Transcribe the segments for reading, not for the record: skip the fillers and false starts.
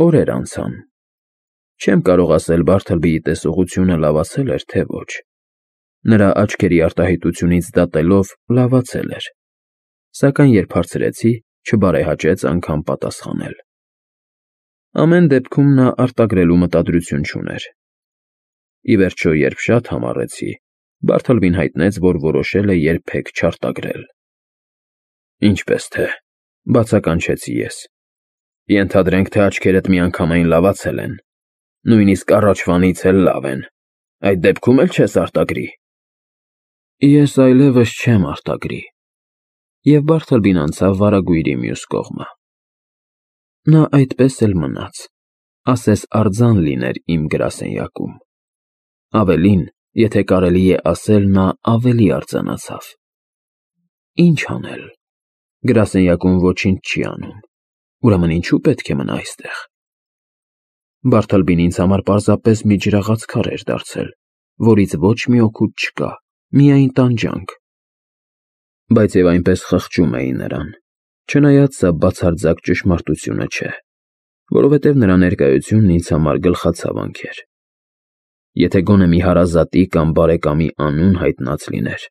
Օրեր անցան։ Չեմ կարող ասել Բարթլբիի տեսողությունը լավացել էր, թե ոչ։ Նրա աչքերի արտահայտությունից դատելով լավացել էր, սակայն երբ հարցրեցի, չբարեհաճեց անգամ պատասխանել։ Ամեն դեպքում նա արտագրելու մտադրություն չուներ։ Ի վերջո, երբ շատ համառեցի, Բարթլբին հայտնեց, որ որոշել է երբեք չարտագրել։ Ինչպես թե, բացականչեցի ես։ Ենթադրենք, թե աչքերդ միանգամայն լավացել են, նույնիսկ առաջվանից էլ լավ են, այդ դեպքում էլ չես արտագրի։ Ես այլևս չեմ արտագրի։ Եվ Բարթլբին անցավ վարագույրի մյուս կողմը։ Նա այդպես էլ մնաց, ասես արձան լիներ իմ գրասենյակում։ Ավելին, եթե կարելի է ասել, նա ավելի արձանացավ։ Ինչ անել։ Գրասենյակում ոչինչ չի անում, ուրեմն ինչու պետք է մնա այստեղ։ Բարթլբին ինձ համար պարզապես մի ջրաղաց քար էր դարձել, որից ոչ մի օգուտ չկա, միայն տանջանք։ Բայց և այնպես խղճում էի նրան, չնայած սա բացարձակ ճշմարտությունը չէ, որովհետև նրա ներկայությունն ինձ համար գլխացավանք էր։ Եթե գոնե մի հարազատի կամ բարեկամի անուն հայտնած լիներ,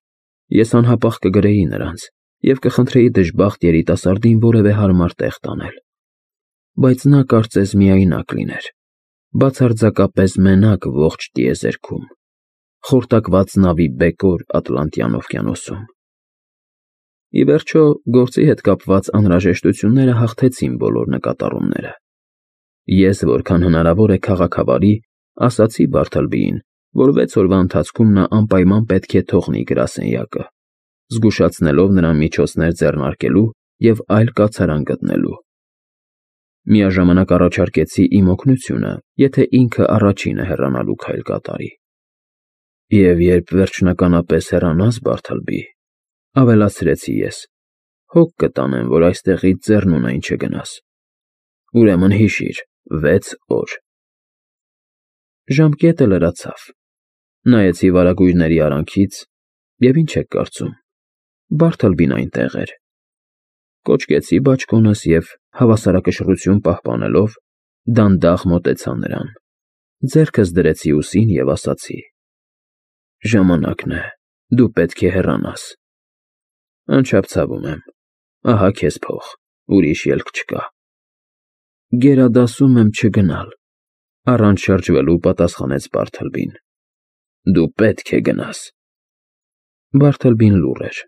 ես անհապաղ կգրեի նրանց և կխնդրեի դժբախտ երիտասարդին որևէ հարմար տեղ տանել։ Բայց նա կարծես միայնակ լիներ, բացարձակապես մենակ ողջ տիեզերքում, խորտակված նավի բեկոր Ատլանտյան օվկիանոսում։ Ի վերջո, գործի հետ կապված անհրաժեշտությունները հաղթեցին բոլոր նկատառումները։ Ես, որքան հնարավոր է քաղաքավարի, ասացի Բարթլբիին, որ 6 օրվա ընթացքում նա անպայման պետք է թողնի գրասենյակը, զգուշացնելով նրան միջոցներ ձեռնարկելու և այլ կացարան գտնելու։ Միաժամանակ առաջարկեցի իմ օգնությունը, եթե ինքը առաջինը հեռանալու քայլ կատարի։ Եվ երբ վերջնականապես հեռանաս, Բարթլբի, ավելացրեցի ես, հոգ կտանեմ, որ այստեղից ձեռնունայն չգնաս։ Ուրեմն հիշիր, 6 օր։ Ժամկետը լրացավ։ Նայեցի վարագույրների արանքից և ինչ եք կարծում, Բարթլբին այնտեղ էր։ Կոչկեցի բաճկոնս և, հավասարակշռություն պահպանելով, դանդաղ մոտեցա նրան, ձեռքս դրեցի ուսին և ասացի. Ժամանակն է, դու պետք է հեռանաս։ Անչափցավում եմ, ահա քեզ փող, ուրիշ ելք չկա։ Գերադասում եմ չգնալ, առանց շրջվելու պատասխանեց Բարթլբին։ Դու պետք է գնաս։ Բարթլբին լուռ էր։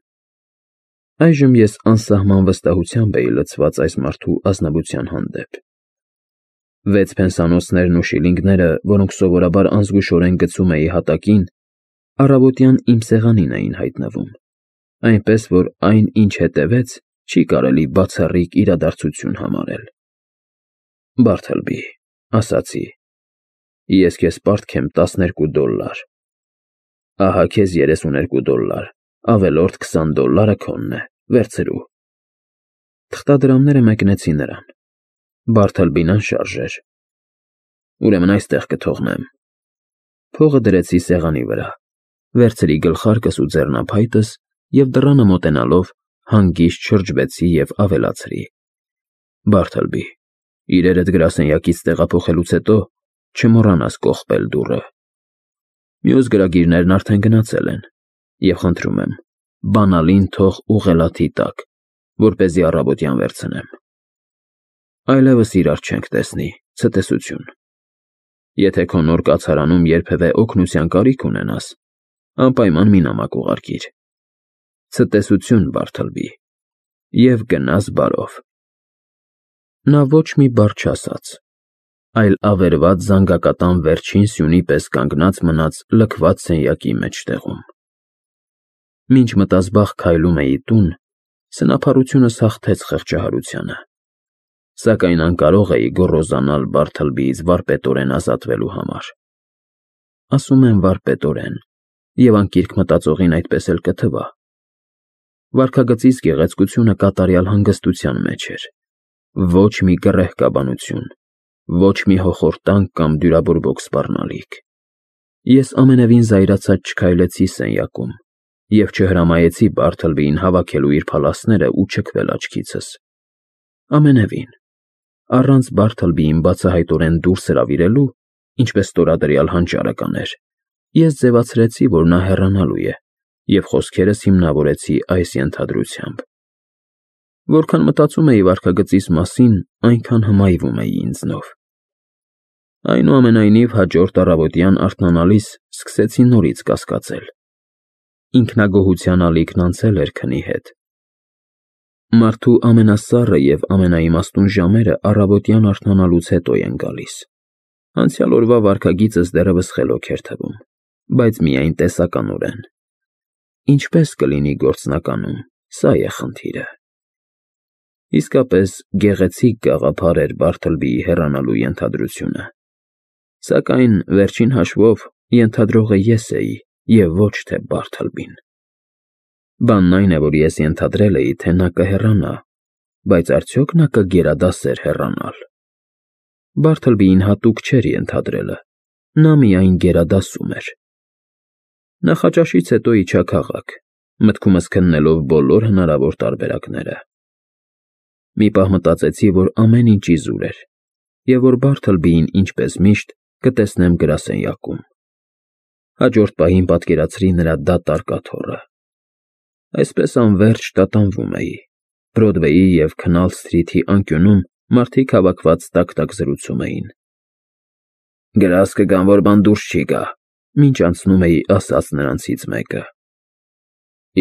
Այժմ ես անսահման վստահությամբ էի լցված այս մարդու ազնվության հանդեպ։ 6 փենսանոցներն ու շիլինգները, որոնք սովորաբար անզգուշորեն գցում էի հատակին, առավոտյան իմ սեղանին էին հայտնվում, այնպես որ այն, ինչ հետևեց, չի կարելի բացառիկ իրադարձություն համարել։ Բարթլբի, ասացի, ես քեզ պարտք եմ $12։ Ահա քեզ $32, ավելորդ $20 քոնն է, վերցրու։ Թղթադրամները մեկնեցի նրան։ Բարթլբին անշարժ էր։ Ուրեմն այստեղ կթողնեմ։ Փողը դրեցի սեղանի վրա, վերցրի գլխարկս ու ձեռնափայտս և դռանը մոտենալով հանգիստ շրջվեցի և ավելացրի. Բարթլբի, իրերդ գրասենյակից տեղափոխելուց հետո չմոռանաս կողպել դուռը։ Մյուս գրագիրներն արդեն գնացել են, և խնդրում եմ, բանալին թող ուղղելաթի տակ, որպեսզի առավոտյան վերցնեմ։ Այլևս իրար չենք տեսնի, ցտեսություն։ Եթե քո նոր կացարանում երբևէ օգնության կարիք ունենաս, անպայման մի նամակ ուղարկիր։ Ցտեսություն, Բարթլբի, և գնաս բարով։ Նա ոչ մի բառ չասաց, այլ ավերված զանգակատան վերջին սյունի պես կանգնած մնաց լքված սենյակի մեջտեղում։ Մինչ մտազբաղ քայլում էի տուն, սնափառությունս հաղթեց խղճահարությանը, սակայն անկարող էի գոռոզանալ Բարթլբիից վարպետորեն ազատվելու համար։ Ասում եմ վարպետորեն, և անկիրք մտածողին այդպես էլ կթվա։ Վարքագծից գեղեցկությունը կատարյալ հանգստության մեջ էր, ոչ մի կռեհկաբանություն, ոչ մի հոխորտանք կամ դյուրաբորբոք սպառնալիք։ Ես ամենևին զայրացած չքայլեցի սենյակում և չհրամայեցի Բարթլբիին հավաքելու իր փալասները ու չքվել աչքիցս։ Ամենևին, առանց Բարթլբիին բացահայտորեն դուրս հրավիրելու, ինչպես ստորադրյալ հանճարը կաներ, ես ձևացրեցի, որ նա հեռանալու է, և խոսքերս հիմնավորեցի այս ենթադրությամբ։ Որքան մտածում էի վարքագծիս մասին, այնքան հմայվում էի ինձնով։ Այնուամենայնիվ, հաջորդ առավոտյան արթնանալիս սկսեցի նորից կասկածել։ Ինքնագոհության ալիքն անցել էր քնի հետ։ Մարդու ամենասառը և ամենաիմաստուն ժամերը առավոտյան արթնանալուց հետո են գալիս։ Անցյալ օրվա վարքագիծս դեռևս խելոք էր թվում, բայց միայն տեսականորեն։ Ինչպես կլինի գործնականում, սա է խնդիրը։ Իսկապես գեղեցիկ գաղափար էր Բարթլբիի հեռանալու ենթադրությունը։ Սակայն, վերջին հաշվով, ենթադրողը ես էի և ոչ թե Բարթլբին։ Բանն այն է, որ ես ենթադրել էի, թե նա կհեռանա, բայց արդյոք նա կգերադասեր հեռանալ։ Բարթլբիին հատուկ չէր ենթադրելը, նա միայն գերադասում էր։ Նախաճաշից հետո իջա քաղաք, մտքումս քննելով բոլոր հնարավոր տարբերակները։ Մի պահ մտածեցի, որ ամեն ինչ իզուր էր, և որ Բարթլբիին, ինչպես միշտ, կտեսնեմ գրասենյակում։ Հաջորդ պահին պատկերացրի նրա դատարկ աթոռը։ Այսպես անվերջ տատանվում էի։ Բրոդվեյի և Քնալ Սթրիթի անկյունում մարդիկ հավաքված տակ-տակ զրուցում էին։ «Գրազ կգան, որ բան դուրս չի գա», մինչ անցնում էի ասաց նրանցից մեկը։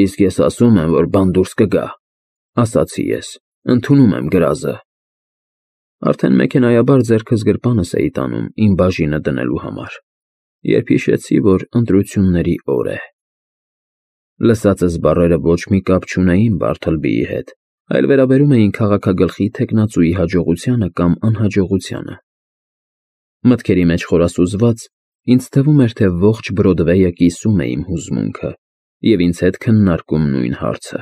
«Իսկ ես ասում եմ, որ բան դուրս կգա», ասացի ես, ընդունում եմ գրազը։ Արդեն մեքենայաբար ձեռքս գրպանս էի տանում իմ բաժինը դնելու համար, երբ հիշեցի, որ ընտրությունների օր է։ Լսածս բառերը ոչ մի կապ չունեին Բարթլբիի հետ, այլ վերաբերում էին քաղաքագլխի թեկնածուի հաջողությանը կամ անհաջողությանը։ Մտքերի մեջ խորասուզված, ինձ թվում էր, թե ողջ Բրոդվեյը կիսում է իմ հուզմունքը և ինձ հետ քննարկում նույն հարցը։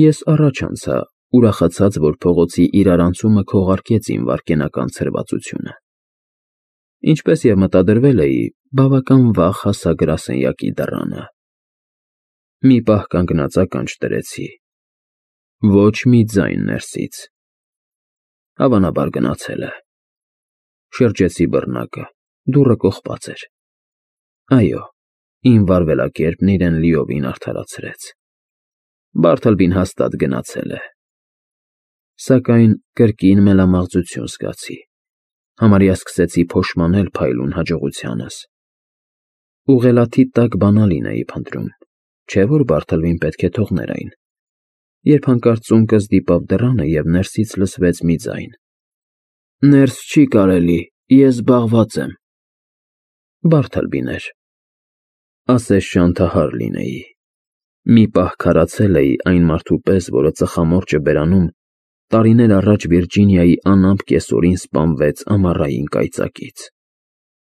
Ես առաջ անցա, ուրախացած, որ փողոցի իրարանցումը քողարկեց իմ վայրկենական ցրվածությունը։ Ինչպես և մտադրվել էի, բավական վաղ հասա գրասենյակի դռանը։ Մի պահ կանգնած ականջ դրեցի։ Ոչ մի ձայն ներսից։ Հավանաբար գնացել է։ Շրջեցի բռնակը, դուռը կողպած էր։ Այո, իմ վարվելակերպն իրեն լիովին արդարացրեց։ Բարթլբին հաստատ գնացել է։ Սակայն կրկին մելամաղձություն զգացի։ Համարյա սկսեցի փոշմանել փայլուն հաջողությանս։ Ուղղելաթի տակ բանալին էի փնտրում, չէ՞ որ Բարթլբին պետք է թողներ այն, երբ հանկարծ ծունկս դիպավ դռանը և ներսից լսվեց մի ձայն. «Ներս չի կարելի, ես զբաղված եմ»։ Բարթլբին էր։ Ասես շանթահար լինեի։ Մի պահ քարացել էի այն մարդու պես, որը ծխամորճը բերանում տարիներ առաջ Վիրջինիայի անամպ կեսօրին սպանվեց ամառային կայծակից։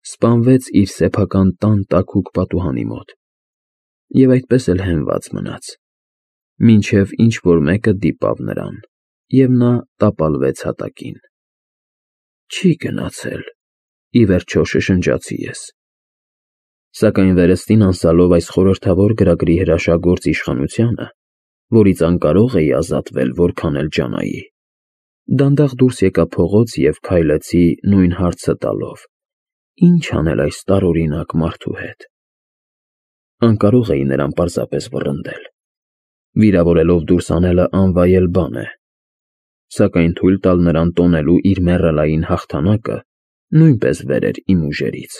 Սպանվեց իր սեփական տան տաքուկ պատուհանի մոտ և այդպես էլ հենված մնաց, մինչև ինչ֊որ մեկը դիպավ նրան, և նա տապալվեց հատակին։ Չի գնացել, ի վերջո շշնջացի ես։ Սակայն վերստին անցյալով այս խորհրդավոր գրագրի հրաշագործ իշխանությանը, որից անկարող էի ազատվել որքան էլ ջանայի, դանդաղ դուրս եկա փողոց և քայլեցի նույն հարցը տալով. ինչ անել այս տարօրինակ մարդու հետ։ Անկարող էի նրան պարզապես վռնդել։ Վիրավորելով դուրս անելը անվայել բան է, սակայն թույլ տալ նրան տոնելու իր մեռելային հաղթանակը նույնպես վեր էր իմ ուժերից։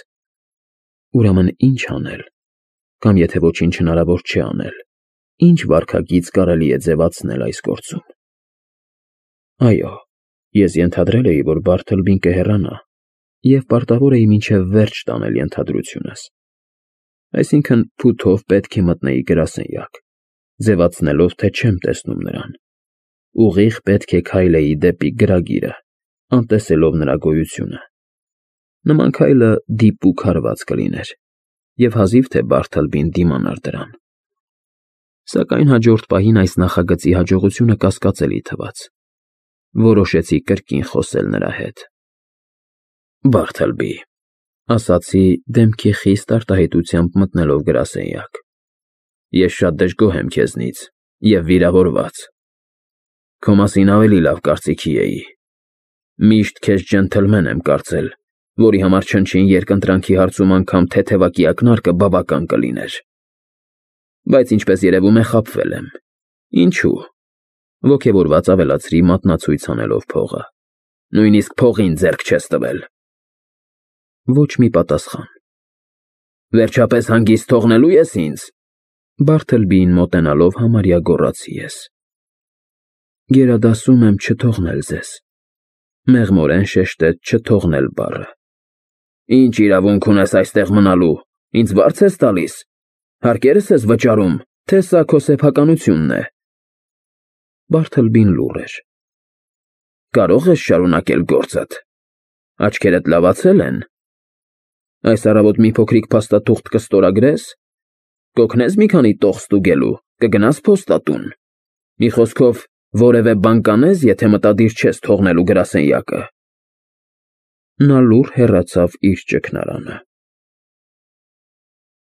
Ուրեմն ինչ անել, կամ եթե ոչինչ հնարավոր չէ անել, ինչ վարքագիծ կարելի է ձևացնել այս գործում։ Այո, ես ենթադրել էի, որ Բարթլբին կհեռանա, և պարտավոր էի մինչև վերջ տանել ենթադրությունս։ Այսինքն՝ փութով պետք է մտնեի գրասենյակ, ձևացնելով, թե չեմ տեսնում նրան։ Ուղիղ պետք է քայլեի դեպի գրագիրը, անտեսելով նրա գոյությունը։ Նման քայլը դիպուկ հարված կլիներ, և հազիվ թե Բարթլբին դիմանար դրան։ Սակայն հաջորդ պահին այս նախագծի հաջողությունը կասկածելի թվաց։ Որոշեցի կրկին խոսել նրա հետ։ «Բարթլբի», ասացի դեմքի խիստ արտահայտությամբ մտնելով գրասենյակ, ես շատ դժգոհ եմ քեզնից և վիրավորված։ Քո մասին ավելի լավ կարծիքի էի։ Միշտ քեզ ջենթլմեն եմ կարծել, որի համար չնչին երկընտրանքի հարցում անգամ թեթևակի ակնարկը բավական կլիներ։ Բայց ինչպես երևում է, խաբվել եմ։ Ինչու՞։ Ոգևորված ավելացրի մատնացույց անելով փողը։ Նույնիսկ փողին ձեռք չես տվել։ Ոչ մի պատասխան։ Վերջապես հանգիստ թողնելու ես ինձ։ Բարթլբիին մոտենալով համարյա գոռացի ես։ Գերադասում եմ չթողնել ձեզ։ Մեղմորեն շեշտեց չթողնել բառը։ Ինչ իրավունք ունես այստեղ մնալու, ինձ վարձ ես տալիս, հարկերս ես վճարում, թե սա քո սեփականությունն է։ Բարթլբին լուռ էր։ Կարող ես շարունակել գործդ։ Աչքերդ լավացել են։ Այս առավոտ մի փոքրիկ փաստաթուղթ կստորագրես, կօգնես մի քանի տող ստուգելու, կգնաս փոստատուն։ Մի խոսքով, որևէ բան կանես, եթե մտադիր չես թողնելու գրասենյակը։ Նա լուռ հեռացավ իր ճգնարանը։